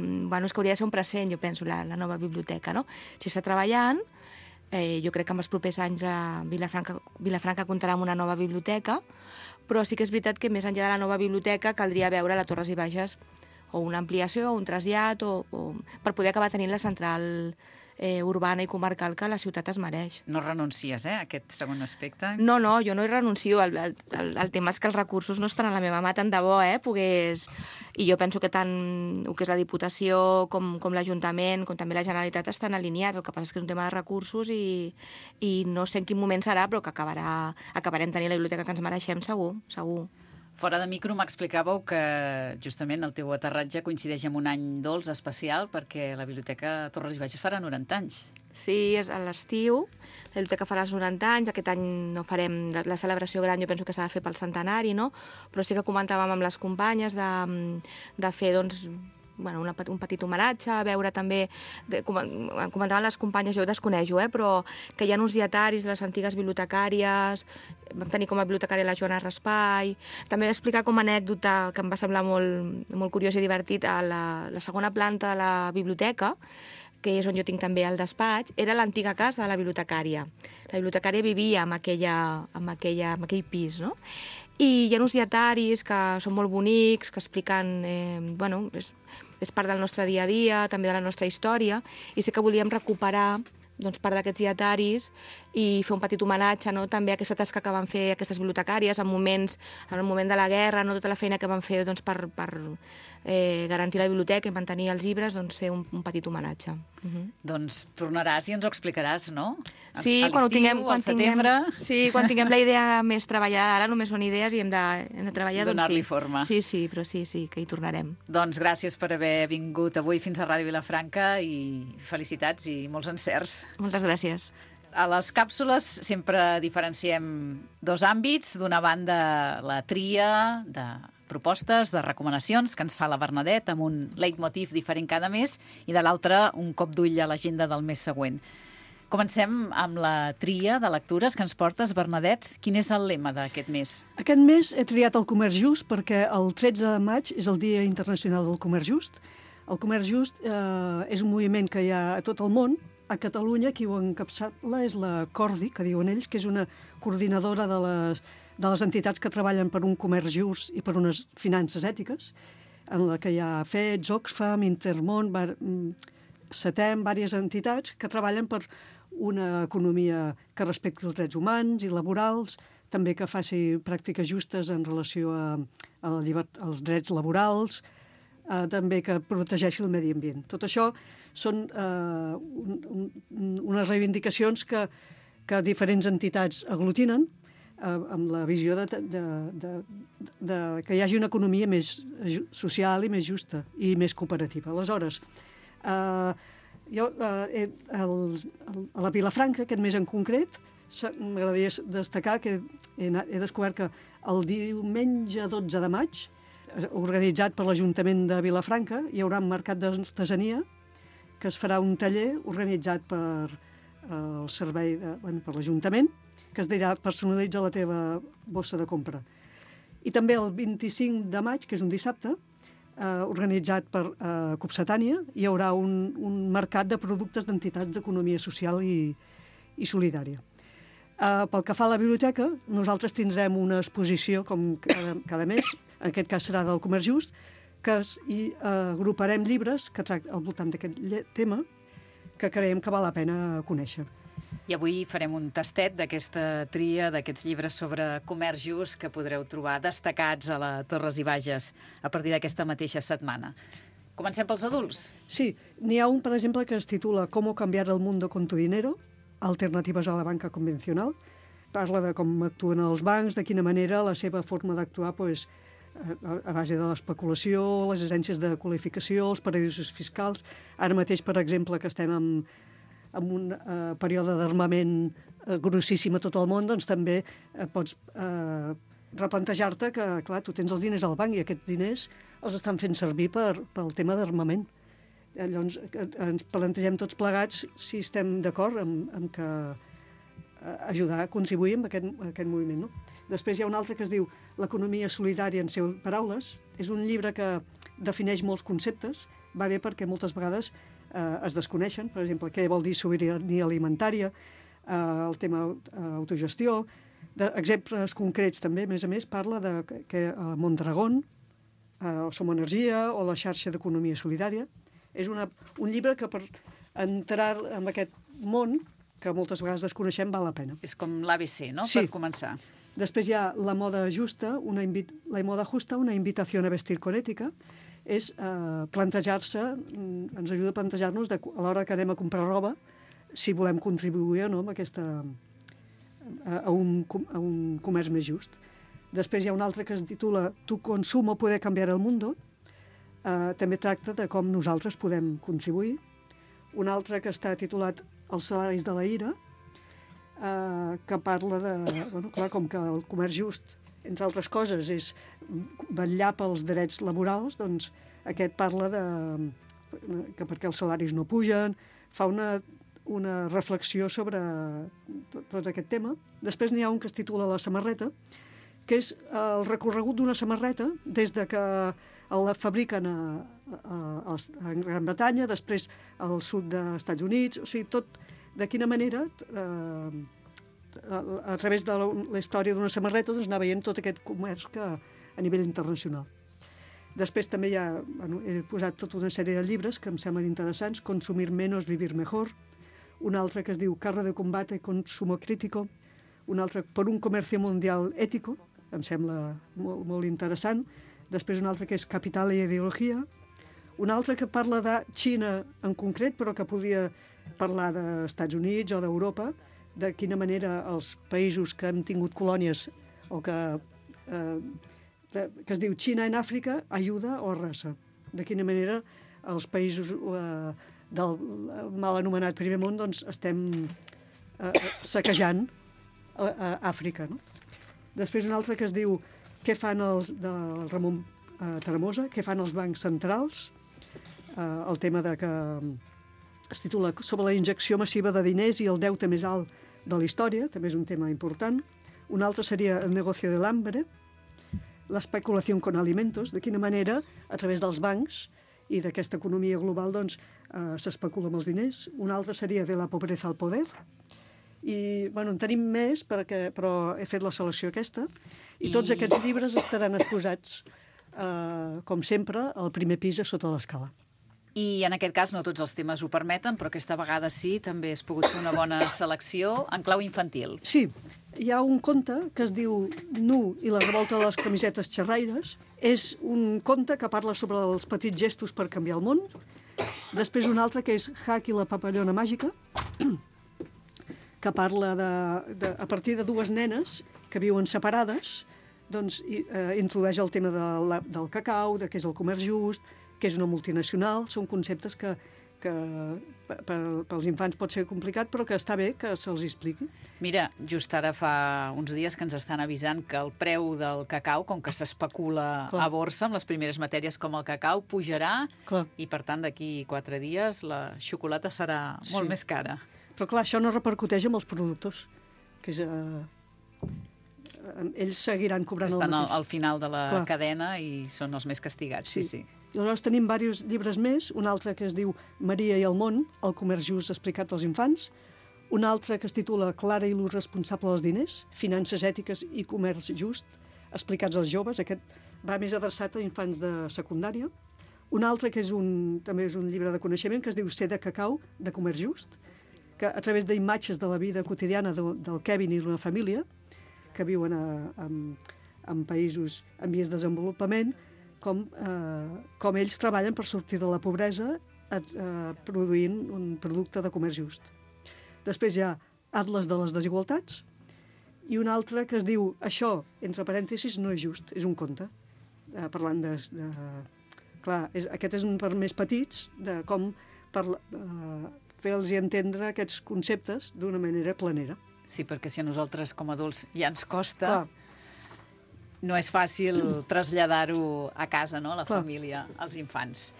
K: hauria de ser un present, jo penso, la nova biblioteca, no? Si està treballant, jo crec que en els propers anys Vilafranca comptarà amb una nova biblioteca, però sí que és veritat que més enllà de la nova biblioteca caldria veure a Torres i Bages o una ampliació o un trasllat per poder acabar tenint la central urbana i comarcal que la ciutat es mereix.
A: No renuncies, a aquest segon aspecte?
K: No, jo no hi renuncio. El tema és que els recursos no estan a la meva mà, tant de bo, pogués... I jo penso que tant el que és la Diputació com l'Ajuntament, com també la Generalitat, estan alineats. El que passa és que és un tema de recursos i no sé en quin moment serà, però que acabarem tenint la biblioteca que ens mereixem, segur.
A: Fora de micro m'explicàveu que justament el teu aterratge coincideix amb un any dolç especial perquè la Biblioteca Torres i Bages farà 90 anys.
K: Sí, és a l'estiu. La biblioteca farà els 90 anys. Aquest any no farem la celebració gran, jo penso que s'ha de fer pel centenari, no? Però sí que comentàvem amb les companyes de fer, doncs, un petit homenatge, a veure també, comentaven les companyes, jo ho desconeixo, però que hi ha uns dietaris de les antigues bibliotecàries, vam tenir com a bibliotecària la Joana Raspai, també vaig explicar com a anècdota, que em va semblar molt curiós i divertit, a la segona planta de la biblioteca que és on jo tinc també el despatx, era l'antiga casa de la bibliotecària. La bibliotecària vivia en aquell pis, no? I hi ha uns dietaris que són molt bonics, que expliquen... és part del nostre dia a dia, també de la nostra història, i sé que volíem recuperar part d'aquests dietaris i fer un petit homenatge també a aquesta tasca que van fer aquestes bibliotecàries en el moment de la guerra, tota la feina que van fer per garantir la biblioteca i mantenir els llibres, fer un petit homenatge.
A: Doncs tornaràs i ens ho explicaràs, no?
K: Sí, quan tinguem la idea més treballada. Ara només són idees i hem de treballar.
A: Donar-li forma.
K: Sí, però sí, que hi tornarem.
A: Doncs gràcies per haver vingut avui fins a Ràdio Vilafranca i felicitats i molts encerts.
K: Moltes gràcies.
A: A les càpsules sempre diferenciem dos àmbits. D'una banda, la tria de propostes, de recomanacions que ens fa la Bernadette amb un leitmotiv diferent cada mes i de l'altra un cop d'ull a l'agenda del mes següent. Comencem amb la tria de lectures que ens portes, Bernadette. Quin és el lema d'aquest mes?
J: Aquest mes he triat el Comerç Just perquè el 13 de maig és el Dia Internacional del Comerç Just. El Comerç Just és un moviment que hi ha a tot el món. A Catalunya, qui ho encapçala és la Cordi, que diuen ells, que és una coordinadora de les entitats que treballen per un comerç just i per unes finances ètiques, en la que hi ha FEDS, Oxfam, Intermón, CETEM, diverses entitats que treballen per una economia que respecti els drets humans i laborals, també que faci pràctiques justes en relació als drets laborals, també que protegeixi el medi ambient. Tot això són unes reivindicacions que diferents entitats aglutinen amb la visió que hi hagi una economia més social i més justa i més cooperativa. Aleshores, jo a la Vilafranca, aquest mes en concret, m'agradaria destacar que he descobert que el diumenge 12 de maig, organitzat per l'Ajuntament de Vilafranca, hi haurà un mercat d'artesania que es farà un taller organitzat per el servei, per l'Ajuntament, que es dirà personalitza la teva bossa de compra. I també el 25 de maig, que és un dissabte, organitzat per Copsetània, hi haurà un mercat de productes d'entitats d'economia social i solidària. Pel que fa a la biblioteca, nosaltres tindrem una exposició, com cada mes, en aquest cas serà del Comerç Just, que hi agruparem llibres que tracten al voltant d'aquest tema que creiem que val la pena conèixer.
A: I avui farem un tastet d'aquesta tria, d'aquests llibres sobre comerç just que podreu trobar destacats a la Torres i Bages a partir d'aquesta mateixa setmana. Comencem pels adults?
J: Sí, n'hi ha un, per exemple, que es titula «Cómo cambiar el mundo con tu dinero», alternatives a la banca convencional. Parla de com actuen els bancs, de quina manera la seva forma d'actuar a base de l'especulació, les agències de qualificació, els paradisos fiscals. Ara mateix, per exemple, que estem en un període d'armament grossíssim a tot el món, doncs també pots replantejar-te que, clar, tu tens els diners al banc i aquests diners els estan fent servir pel tema d'armament. Llavors ens plantegem tots plegats si estem d'acord amb que ajudar a contribuir amb aquest moviment, no? Després hi ha un altre que es diu L'economia solidària en seves paraules. És un llibre que defineix molts conceptes. Va bé perquè moltes vegades es desconeixen. Per exemple, què vol dir sobirania alimentària, el tema autogestió. Exemples concrets també, a més, parla que a Mondragón, Som Energia o la xarxa d'economia solidària. És un llibre que per entrar en aquest món, que moltes vegades desconeixem, val la pena.
A: És com l'ABC, no?,
J: sí.
A: Per començar.
J: Després hi ha La moda justa, La moda justa, una invitació a vestir con ètica. És plantejar-se, ens ajuda a plantejar-nos a l'hora que anem a comprar roba, si volem contribuir o no a un comerç més just. Després hi ha un altre que es titula Tu consumo puede cambiar el mundo. També tracta de com nosaltres podem contribuir. Un altre que està titulat Els salaris de la ira, que parla clar, com que el comerç just, entre altres coses, és vetllar pels drets laborals, doncs aquest parla que perquè els salaris no pugen, fa una reflexió sobre tot aquest tema. Després n'hi ha un que es titula La samarreta, que és el recorregut d'una samarreta des de que la fabriquen a Gran Bretanya, després al sud dels Estats Units, o sigui, tot de quina manera, a través de la història d'una samarreta, doncs anar veient tot aquest comerç que a nivell internacional. Després també he posat tota una sèrie de llibres que em semblen interessants, Consumir menos, vivir mejor, un altre que es diu Carro de combate, consumo crítico, un altre Por un comercio mundial ético, em sembla molt, molt interessant, després un altre que és Capital i ideologia, un altre que parla de Xina en concret, però que podria parlar dels Estats Units o d'Europa, de quina manera els països que hem tingut colònies o que es diu Xina en Àfrica, ajuda o arrasa. De quina manera els països del mal anomenat primer món doncs, estem saquejant a Àfrica. No? Després un altre que es diu Què fan del Ramon Tremosa, què fan els bancs centrals, el tema que es titula Sobre la injecció massiva de diners i el deute més alt de la història, també és un tema important. Un altre seria El negocio del hambre, l'especulació con alimentos, de quina manera, a través dels bancs i d'aquesta economia global, doncs, s'especula amb els diners. Un altre seria De la pobreza al poder. I, bueno, en tenim més, però he fet la selecció aquesta. I tots aquests llibres estaran exposats, com sempre, al primer pis a sota l'escala.
A: I en aquest cas no tots els temes ho permeten, però aquesta vegada sí, també has pogut fer una bona selecció en clau infantil.
J: Sí, hi ha un conte que es diu Nu i la revolta de les camisetes xerraires. És un conte que parla sobre els petits gestos per canviar el món. Després un altre que és Hack i la papallona màgica, que parla a partir de dues nenes que viuen separades, doncs introdueix el tema del cacau, de què és el comerç just, què és una multinacional. Són conceptes que pels infants pot ser complicat, però que està bé que se'ls expliqui.
A: Mira, just ara fa uns dies que ens estan avisant que el preu del cacau, com que s'especula a borsa amb les primeres matèries com el cacau, pujarà i, per tant, d'aquí 4 dies la xocolata serà molt més cara.
J: Però, clar, això no repercuteix amb els productors, que és... ells seguiran cobrant el mateix.
A: Estan al final de la cadena i són els més castigats, sí.
J: Llavors tenim diversos llibres més, un altre que es diu Maria i el món, el comerç just explicat als infants, un altre que es titula Clara i l'ús responsable dels diners, finances ètiques i comerç just, explicats als joves. Aquest va més adreçat a infants de secundària. Un altre que també és un llibre de coneixement que es diu Ser de cacau, de comerç just, que a través d'imatges de la vida quotidiana del Kevin i la família, que viuen en països en vies de desenvolupament, com ells treballen per sortir de la pobresa produint un producte de comerç just. Després hi ha Atles de les desigualtats i un altre que es diu Això, entre parèntesis, no és just, és un conte, parlant de... Clar, aquest és un per més petits, de com fer-los entendre aquests conceptes d'una manera planera.
A: Sí, perquè si a nosaltres com a adults ja ens costa... No és fàcil traslladar-ho a casa, no?, a la família, als infants.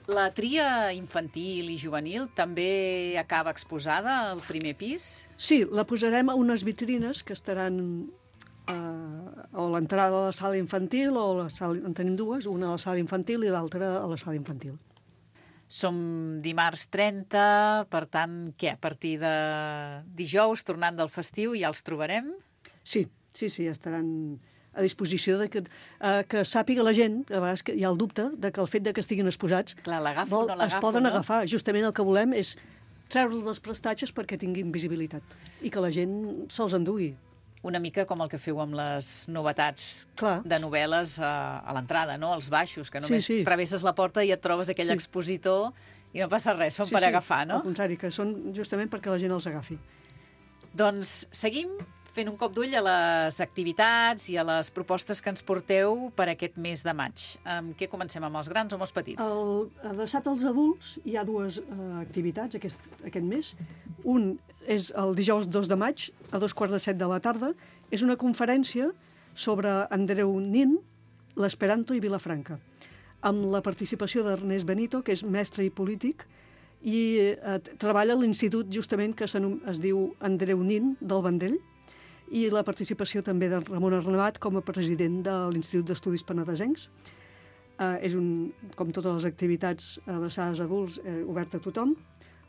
A: La tria infantil i juvenil també acaba exposada al primer pis?
J: Sí, la posarem a unes vitrines que estaran a l'entrada de la sala infantil, en tenim dues, una a la sala infantil i l'altra a la sala infantil.
A: Som dimarts 30, per tant, què? A partir de dijous, tornant del festiu, ja els trobarem?
J: Sí, estaran a disposició de que sàpiga la gent, a vegades hi ha el dubte de que el fet de que estiguin exposats es poden agafar. Justament el que volem és treure'ls les prestatges perquè tinguin visibilitat i que la gent se'ls endugui.
A: Una mica com el que feu amb les novetats de novel·les a l'entrada, no? Els baixos, que només travesses la porta i et trobes aquell expositor i no passa res, són per agafar, no?
J: Al contrari, que són justament perquè la gent els agafi.
A: Doncs seguim fent un cop d'ull a les activitats i a les propostes que ens porteu per aquest mes de maig. Amb què comencem, amb els grans o amb els petits?
J: Adreçat als adults hi ha dues activitats aquest mes. Un és el dijous 2 de maig, a 2:15 de la tarda. És una conferència sobre Andreu Nin, l'esperanto i Vilafranca, amb la participació d'Ernest Benito, que és mestre i polític, i treballa a l'institut justament que es diu Andreu Nin del Vendrell, i la participació també de Ramon Arnabat com a president de l'Institut d'Estudis Penedesencs. és, com totes les activitats adreçades a adults, oberta a tothom.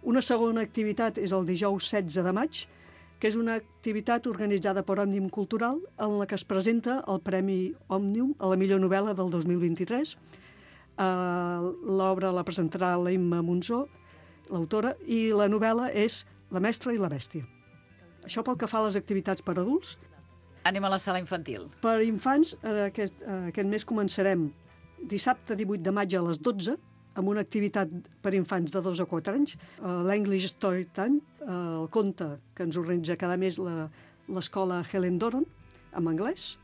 J: Una segona activitat és el dijous 16 de maig, que és una activitat organitzada per Òmnium Cultural, en la que es presenta el Premi Òmnium a la millor novel·la del 2023. L'obra la presentarà l'Emma Monzó, l'autora, i la novel·la és La mestra i la bèstia. Això pel que fa a les activitats per adults.
A: Anem a la sala infantil.
J: Per infants, aquest mes començarem dissabte 18 de maig a les 12, amb una activitat per infants de 2 a 4 anys, l'English Story Time, el conte que ens organitza cada mes l'escola Helen Doron, en anglès.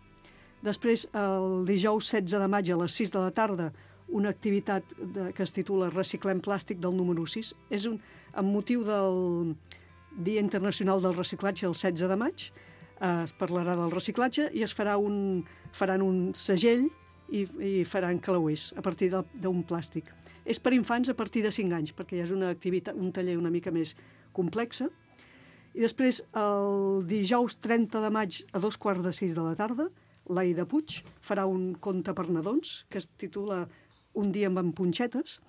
J: Després, el dijous 16 de maig a les 6 de la tarda, una activitat que es titula Reciclem plàstic del número 6. És amb motiu del Dia Internacional del Reciclatge el 16 de maig. Es parlarà del reciclatge i faran un segell i faran clauers a partir d'un plàstic. És per infants a partir de 5 anys, perquè ja és una activitat, un taller una mica més complexa. I després, el dijous 30 de maig a 5:15 de la tarda, l'Aida Puig farà un conte per nadons que es titula Un dia amb punxetes.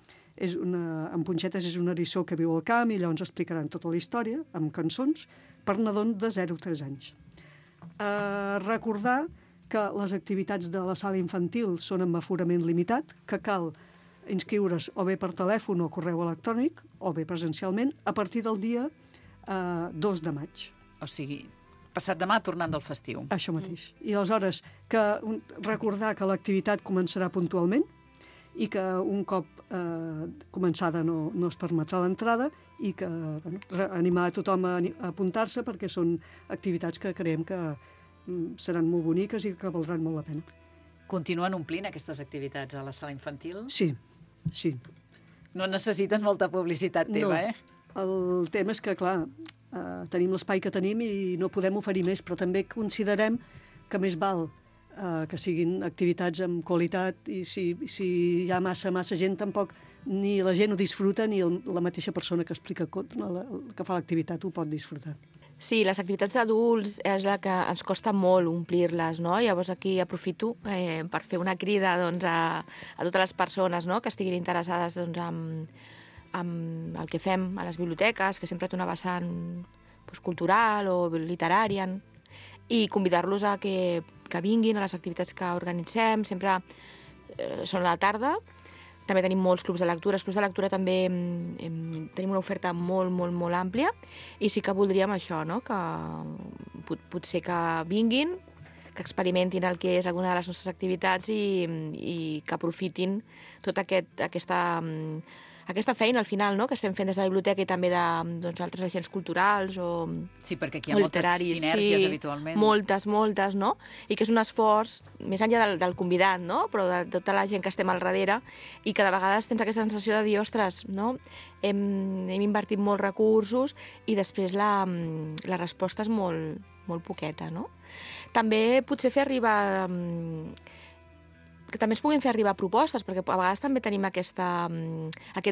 J: En Punxetes és un eriçó que viu al camp i llavors explicaran tota la història amb cançons per nadons de 0 a 3 anys. Recordar que les activitats de la sala infantil són amb aforament limitat, que cal inscriure's o bé per telèfon o correu electrònic o bé presencialment a partir del dia 2 de maig.
A: O sigui, passat demà tornant del festiu.
J: Això mateix. I aleshores recordar que l'activitat començarà puntualment i que un cop començada no es permetrà l'entrada i que animar a tothom a apuntar-se perquè són activitats que creiem que seran molt boniques i que valdran molt la pena.
A: Continuen omplint aquestes activitats a la sala infantil?
J: Sí.
A: No necessiten molta publicitat teva,
J: El tema és que, clar, tenim l'espai que tenim i no podem oferir més, però també considerem que més val que siguin activitats amb qualitat i si hi ha massa gent tampoc ni la gent ho disfruta ni la mateixa persona que explica que fa l'activitat ho pot disfrutar.
K: Sí, les activitats d'adults és la que ens costa molt omplir-les, no? Llavors aquí aprofito per fer una crida a totes les persones que estiguin interessades en el que fem a les biblioteques, que sempre té una vessant cultural o literària, i convidar-los a que vinguin a les activitats que organitzem. Sempre són a la tarda. També tenim molts clubs de lectura. Els clubs de lectura també tenim una oferta molt, molt, molt àmplia i sí que voldríem això, que potser que vinguin, que experimentin el que és alguna de les nostres activitats i que aprofitin tota aquesta feina al final que estem fent des de la biblioteca i també d'altres agents culturals o
A: sí, perquè aquí hi ha moltes sinèrgies habitualment.
K: Moltes, no? I que és un esforç, més enllà del convidat, no? Però de tota la gent que estem al darrere i que de vegades tens aquesta sensació de dir, ostres, no? Hem invertit molts recursos i després la resposta és molt, molt poqueta, no? També potser fer arribar que també es puguin fer arribar propostes, perquè a vegades també tenim aquest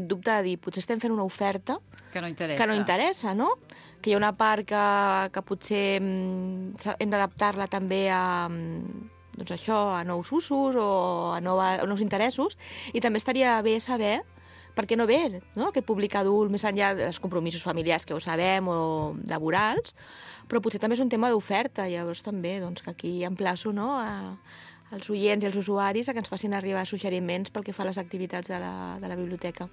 K: dubte de dir, potser estem fent una oferta
A: que no interessa,
K: no? Que hi ha una part que potser hem d'adaptar-la també a nous usos o a nous interessos, i també estaria bé saber per què no ve, no? Aquest públic adult, més enllà dels compromisos familiars que ho sabem o laborals, però potser també és un tema d'oferta, llavors també que aquí emplaço als oients i als usuaris a que ens facin arribar suggeriments pel que fa a les activitats de la biblioteca.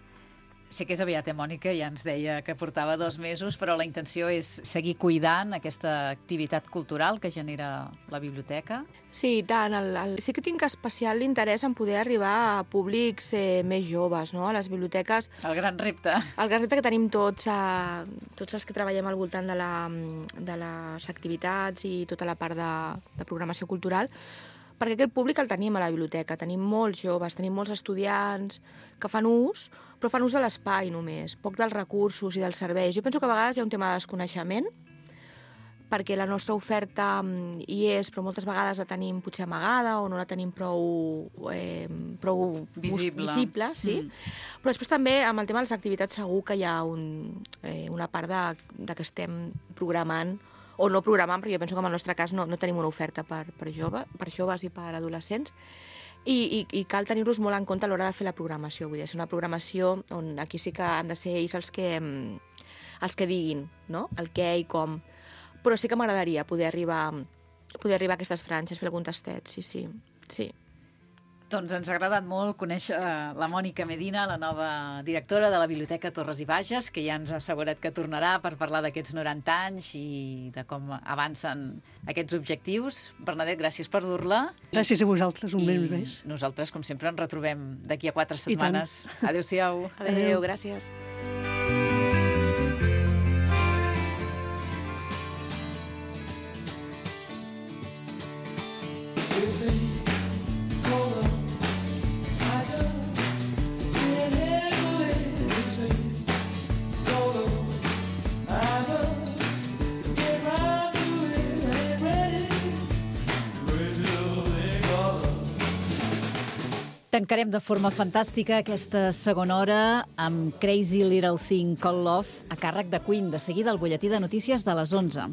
A: Sé que és aviat, Mònica, ja ens deia que portava 2 mesos, però la intenció és seguir cuidant aquesta activitat cultural que genera la biblioteca.
K: Sí, i tant. Sí que tinc especial interès en poder arribar a públics més joves, no? A les biblioteques.
A: El gran repte.
K: El gran repte que tenim tots els que treballem al voltant de les activitats i tota la part de programació cultural, perquè aquest públic el tenim a la biblioteca. Tenim molts joves, tenim molts estudiants que fan ús, però fan ús de l'espai només, poc dels recursos i dels serveis. Jo penso que a vegades hi ha un tema de desconeixement, perquè la nostra oferta hi és, però moltes vegades la tenim potser amagada o no la tenim prou visible, sí. Però després també amb el tema de les activitats segur que hi ha una part de que estem programant o no programant, perquè jo penso que en el nostre cas no tenim una oferta per joves i per adolescents, I cal tenir-los molt en compte a l'hora de fer la programació. Vull dir, és una programació on aquí sí que han de ser ells els que diguin, no?, el què i com. Però sí que m'agradaria poder arribar a aquestes franges, fer algun tastet, sí.
A: Doncs ens ha agradat molt conèixer la Mònica Medina, la nova directora de la Biblioteca Torres i Bages, que ja ens ha assegurat que tornarà per parlar d'aquests 90 anys i de com avancen aquests objectius. Bernadette, gràcies per dur-la.
J: Gràcies a vosaltres, un mes més.
A: Nosaltres, com sempre, ens retrobem d'aquí a 4 setmanes. Adéu-siau.
K: Adéu, gràcies.
A: Tancarem de forma fantàstica aquesta segona hora amb Crazy Little Thing Called Love a càrrec de Queen. De seguida, el butlletí de notícies de les 11.